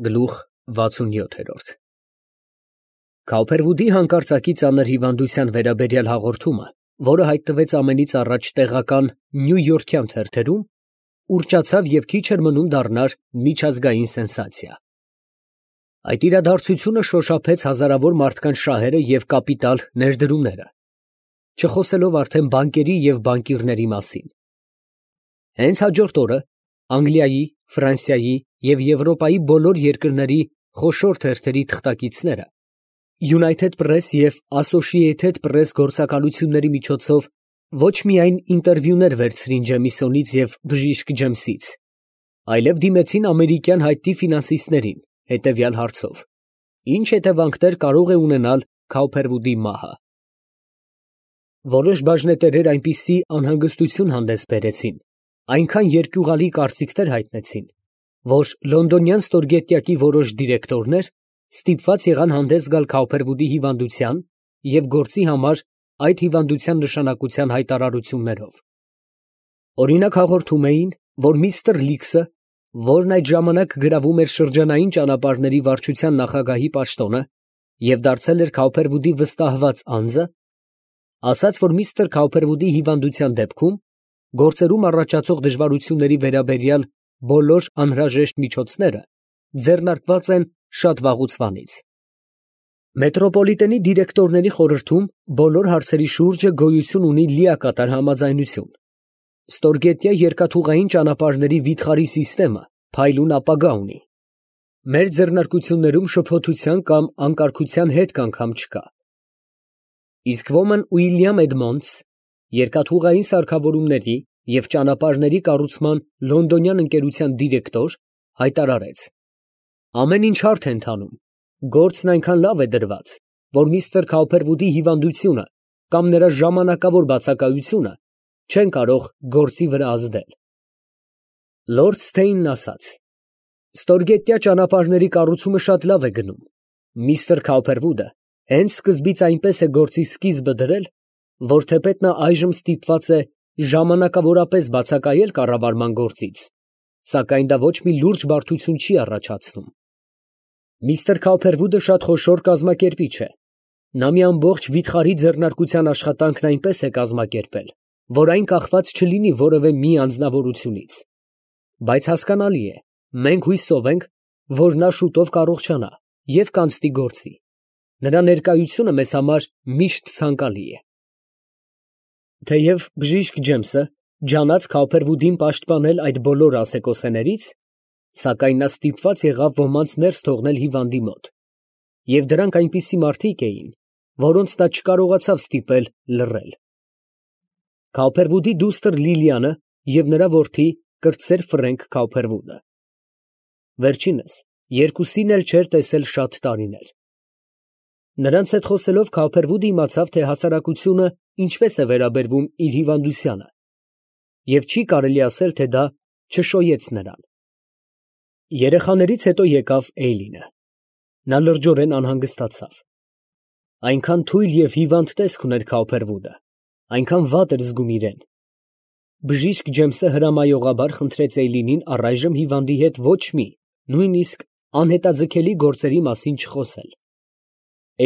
Գլուխ 67 Քաուփերվուդի հանկարծակի ծանր հիվանդության վերաբերյալ հաղորդումը, որը հայտնվեց ամենից առաջ տեղական նյույորքյան թերթերում, ուռճացավ և քիչ էր մնում դառնար միջազգային սենսացիա։ Այդ իրադարձությունը շոշափեց հազարավոր մարդկանց շահերը և կապիտալ ներդրումները, չխոսելով արդեն բանկերի և բանկիրների մասին։ Հենց հաջորդ օրը Անգլիայի, Ֆրանսիայի և Եվրոպայի բոլոր երկրների խոշոր թերթերի թղթակիցները United Press և Associated Press գործակալությունների միջոցով ոչ միայն ինտերվյուներ վերցրին Ջեմիսոնից և բժիշկ Ջեմսից, այլև դիմեցին ամերիկյան հայտնի ֆինանսիստներին հետևյալ հարցով. ի՞նչ հետևանքներ կարող է ունենալ Քաուփերվուդի մահը։ Որոշ բաժնետերեր այնպիսի անհանգստություն հանդես բերեցին, այնքան երկյուղալի կարծիքներ հայտնեցին, որ լոնդոնյան ստորգետնյակի որոշ դիրեկտորներ ստիպված եղան հանդես գալ Քաուփերվուդի հիվանդության և գործի համար այդ հիվանդության նշանակության հայտարարություններով։ Օրինակ հաղորդում էին, որ միստր Լիքսը, որն այդ ժամանակ գրավում էր շրջանային ճանապարհների վարչության նախագահի պաշտոնը և դարձել էր Քաուփերվուդի վստահված անձը, ասաց, որ միստր Քաուփերվուդի հիվանդության դեպքում գործերում առաջացող դժվարությունների վերաբերյալ բոլոր անհրաժեշտ միջոցները ձեռնարկված են շատ վաղուց։ Մետրոպոլիտենի դիրեկտորների խորհրդում բոլոր հարցերի շուրջը գոյություն ունի լիակատար համաձայնություն։ Ստորգետնյա երկաթուղային ճանապարհների վիթխարի սիստեմը փայլուն ապագա ունի։ Մեր ձեռնարկություններում շփոթության կամ անկարգության հետք անգամ չկա։ Իսկ ոմն Ուիլյամ Էդմոնդս, երկաթուղային սարքավորումների և ճանապարհների կառուցման լոնդոնյան ընկերության դիրեկտոր, հայտարարեց. ամեն ինչ հարթ է ընթանում, գործն այնքան լավ է դրված, որ միստր Քաուփերվուդի հիվանդությունը կամ նրա ժամանակավոր բացակայությունը չեն կարող գործի վրա ազդել։ Լորդ Սթեյնն ասաց. ստորգետնյա ճանապարհների կառուցումը շատ լավ է գնում։ Միստր Քաուփերվուդը հենց սկզբից այնպես է գործի սկիզբը դրել, որ թեպետ նա այժմ ստիպված է ժամանակավորապես բացակայել կառավարման գործից, սակայն դա ոչ մի լուրջ բարդություն չի առաջացնում։ Միստր Քաուփերվուդը շատ խոշոր կազմակերպիչ է։ Նա մի ամբողջ վիթխարի ձեռնարկության աշխատանքն այնպես է կազմակերպել, որ այն կախված չլինի որևէ մի անձնավորությունից։ Բայց հասկանալի է, մենք հույսով ենք, որ նա շուտով կառողջանա և կանցնի գործի։ Նրա ներկայությունը մեզ համար միշտ ցանկալի է։ Թեև բժիշկ Ջեմսը ջանաց Քաուփերվուդին պաշտպանել այդ բոլոր ասեկոսեներից, սակայն նա ստիպված եղավ ոմանց ներս թողնել հիվանդի մոտ, և դրանք այնպիսի մարդիկ էին, որոնց նա չկարողացավ ստիպել լռել։ Քաուփերվուդի դուստր Լիլիանը և նրա որդի կրտսեր Ֆրենք Քաուփերվուդը։ Վերջինս երկուսին էլ չէր տեսել շատ տարիներ։ Նրանց հետ խոսելով Քաուփերվուդը իմացավ, թե հասարակությունը ինչպես է վերաբերվում իր հիվանդությանը, և չի կարելի ասել, թե դա չշոյեց նրան։ Երեխաներից հետո եկավ Էյլինը։ Նա լրջորեն անհանգստացավ։ Այնքան թույլ և հիվանդ տեսք ուներ Քաուփերվուդը, այնքան վատ էր զգում իրեն։ Բժիշկ Ջեմսը հրամայողաբար խնդրեց Էյլինին առայժմ հիվանդի հետ ոչ մի, նույնիսկ անհետաձգելի գործերի մասին չխոսել։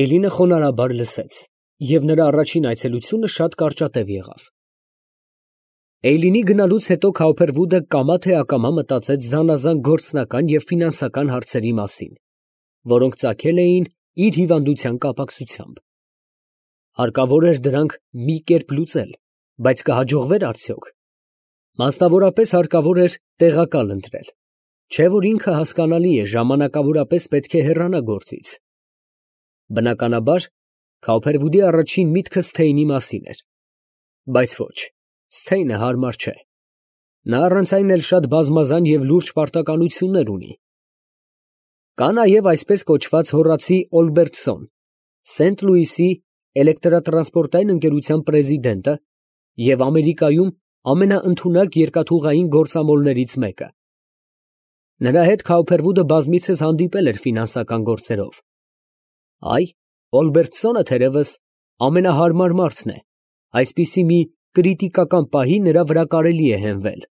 Էյլինը խոնարհաբար լսեց, և նրա առաջին այցելությունը շատ կարճատև եղավ։ Էյլինի գնալուց հետո Քաուփերվուդը կամա թե ակամա մտածեց զանազան գործնական և ֆինանսական հարցերի մասին, որոնք ծագել էին իր հիվանդության կապակցությամբ։ Հարկավոր էր դրանք մի կերպ լուծել, բայց կհաջողվե՞ր արդյոք։ Մասնավորապես հարկավոր էր տեղակալ ընտրել, չէ՞ որ ինքը հասկանալի է, ժամանակավորապես պետք է հեռանա գործից։ Բնականաբար, Քաուփերվուդի առաջին միտքը Սթեյնի մասին էր, բայց ոչ, Սթեյնը հարմար չէ։ Նա առանց այն էլ շատ բազմազան և լուրջ պարտականություններ ունի։ Կա նաև այսպես կոչված հոռացի Օլբերտսոն, Սենտ Լուիսի էլեկտրատրանսպորտային ընկերության պրեզիդենտը և Ամերիկայում ամենաընդունակ երկաթուղային գործամոլներից մեկը։ Նրա հետ Քաուփերվուդը բազմիցս հանդիպել էր ֆինանսական գործերով։ Այ, Օլբերտսոնը թերևս ամենահարմար մարդն է, այսպիսի մի կրիտիկական պահի նրա վրա կարելի է հենվել։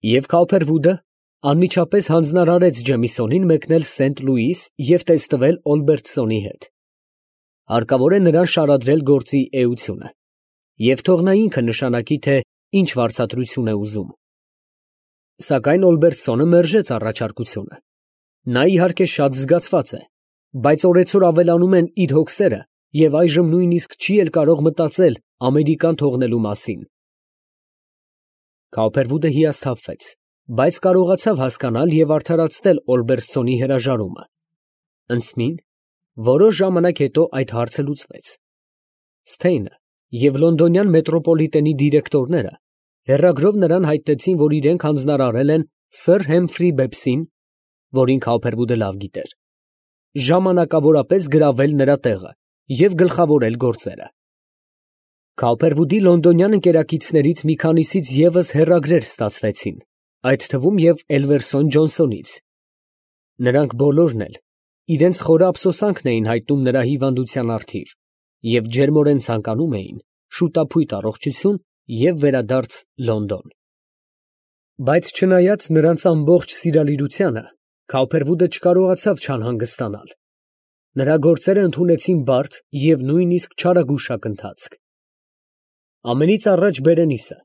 Եվ Քաուփերվուդը Անմիջապես հանձնարարեց Ջեմիսոնին մեկնել Սենտ Լուիս և տեստվել Օլբերտսոնի հետ։ Հարկավոր է նրան շարադրել գործի էությունը, և թող նա ինքը նշանակի, թե ինչ վարձատրություն է ուզում։ Սակայն Օլբերտսոնը մերժեց առաջարկությունը։ Նա իհարկե շատ զգացված է, բայց օրեցօր ավելանում են իր հոգսերը և այժմ նույնիսկ չի էլ կարող մտածել Ամերիկան թողնելու մասին։ Քաուփերվուդը հիասթափվեց, բայց կարողացավ հասկանալ և արդարացնել Օլբերտսոնի հրաժարումը։ Ընդմին, որոշ ժամանակ հետո այդ հարցը լուծվեց։ Սթեյնը և լոնդոնյան մետրոպոլիտենի դիրեկտորները հեռագրով նրան հայտնեցին, որ իրենք հանձնարարել են սըր Հեմֆրի Բեբսին, որին Քաուփերվուդը լավ գիտեր, ժամանակավորապես գրավել նրա տեղը և գլխավորել գործերը։ Քաուփերվուդի լոնդոնյան ընկերակիցներից մի քանիսից ևս հեռագրեր ստացվեցին, այդ թվում և Էլվերսոն Ջոնսոնից։ Նրանք բոլորն էլ իրենց խորը ափսոսանքն էին հայտնում նրա հիվանդության առթիվ և ջերմորեն ցանկանում էին շուտափույթ առողջություն և վերադարձ Լոնդոն։ Բայց չնայած նրանց ամբողջ սիրալիրությանը, Քաուփերվուդը չկարողացավ չանհանգստանալ։ Նրա գործերը ընդունեցին բարդ և նույնիսկ չարագուշակ ընթացք։ Ամենից առաջ Բերենիսը,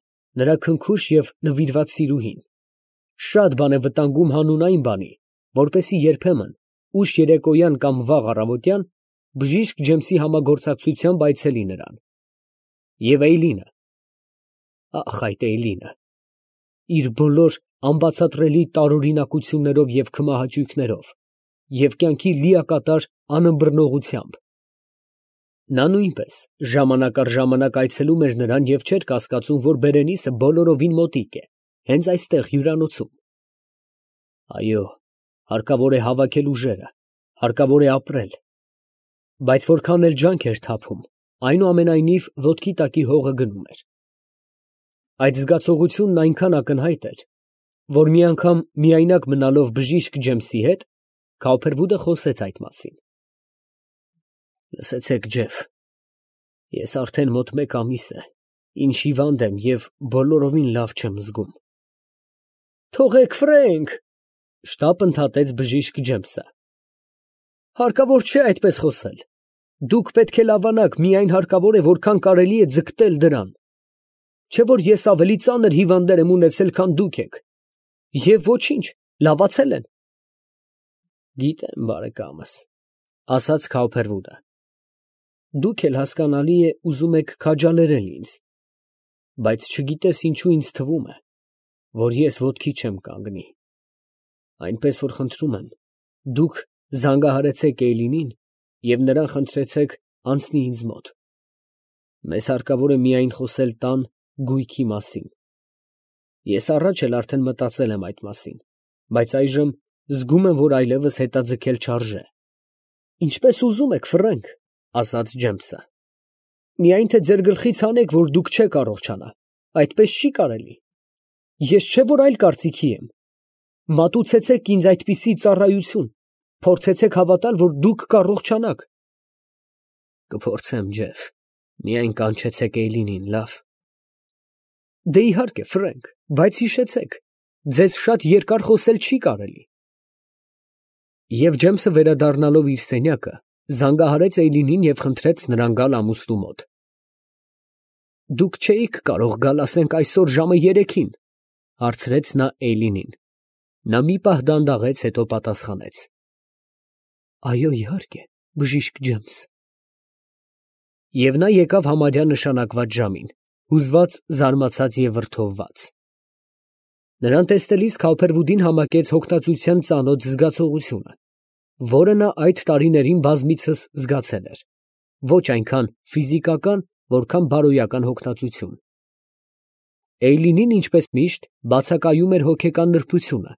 նրա քնքուշ և նվիրված սիրուհին, շատ բան է վտանգում հանուն այն բանի, որպեսզի երբեմն ուշ երեկոյան կամ վաղ առավոտյան բժիշկ Ջեմսի համագործակցությամբ այցելի նրան։ Եվ Էյլինը, ախ այդ Էյլինը, իր բոլոր անբացատրելի տարօրինակություններով և քմահաճույքներով և կյանքի լիակատար անըմբռնողությամբ։ Նա նույնպես ժամանակ առ ժամանակ այցելում էր նրան և չէր կասկածում, որ Բերենիսը բոլորովին մոտիկ է, հենց այստեղ հյուրանոցում։ Այո, հարկավոր է հավաքել ուժերը, հարկավոր է ապրել, բայց որքան էլ ջանք էր թափում, այնուամենայնիվ ոտքի տակի հողը գնում էր։ Այդ զգացողությունն այնքան ակնհայտ էր, որ մի անգամ միայնակ մնալով բժիշկ Ջեմսի հետ, Քաուփերվուդը խոսեց այդ մասին։ Լսեցեք, Ջեֆ, ես արդեն մոտ 1 ամիս է, ինչ հիվանդ եմ և բոլորովին լավ չեմ զգում։ Թողեք, Ֆրենկ, շտապ ընդհատեց բժիշկ Ջեմսը։ Հարկավոր չէ այդպես խոսել։ Դուք պետք է լավանաք, միայն հարկավոր է որքան կարելի է ձգտել դրան։ Չէ որ ես ավելի ծանր հիվանդներ եմ ունեցել, քան դուք եք, և ոչինչ, լավացել են։ Գիտեմ, բարեկամս, ասաց Քաուփերվուդը։ Դուք էլ հասկանալի է ուզում եք քաջալերել ինձ, բայց չգիտես ինչու ինձ թվում է, որ ես ոտքի չեմ կանգնի։ Այնպես որ խնդրում եմ, դուք զանգահարեցեք Էյլինին և նրան խնդրեցեք անցնի ինձ մոտ։ Մեզ հարկավոր է միայն խոսել տան գույքի մասին։ Ես առաջ էլ արդեն մտածել եմ այդ մասին, բայց այժմ զգում եմ, որ այլևս հետաձգել չարժե։ Ինչպես ուզում եք, Ֆրենկ, ասաց Ջեմսը։ Միայն թե ձեր գլխից հանեք, որ դուք չեք առողջանա, այդպես չի կարելի։ Ես չէ որ այլ կարծիքի եմ։ Մատուցեցեք ինձ այդպիսի ծառայություն, փորձեցեք հավատալ, որ դուք կառողջանաք։ Կփորձեմ, Ջեֆ, միայն կանչեցեք Էյլինին, լավ։ Դե իհարկե, Ֆրենկ, բայց հիշեցեք, ձեզ շատ երկար խոսել չի կարելի։ Եվ Ջեմսը վերադառնալով իր սենյակը, զանգահարեց Էյլինին և խնդրեց նրան գալ ամուսնու մոտ։ Դուք չէիք կարող գալ, ասենք, այսօր ժամը 3-ին, հարցրեց նա Էյլինին։ Նա մի պահ դանդաղեց, հետո պատասխանեց. Այո, իհարկե, բժիշկ Ջեմս։ Եվ նա եկավ համարյա նշանակված ժամին, հուզված, զարմացած և վրդովված։ Նրան տեսնելիս Քաուփերվուդին համակեց հոգնածության ծանոթ զգացողությունը, որը նա այդ տարիներին բազմիցս զգացել էր, ոչ այնքան ֆիզիկական, որքան բարոյական հոգնածություն։ Էյլինին, ինչպես միշտ, բացակայում էր հոգեկան նրբությունը,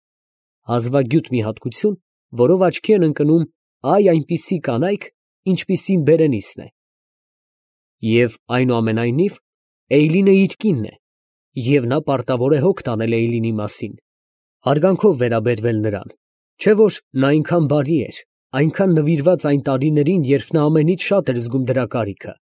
հազվագյուտ մի հատկություն, որով աչքի են ընկնում այ այնպիսի կանայք, ինչպիսին Բերենիսն է։ Եվ այնուամենայնիվ Էյլինը իր կինն է, և նա պարտավոր է հոգ տանել Էյլինի մասին, հարգանքով վերաբերվել նրան, չէ որ նա այնքան բարի էր, այնքան նվիրված այն տարիներին, երբ նա ամենից շատ էր զգում դրա կարիքը։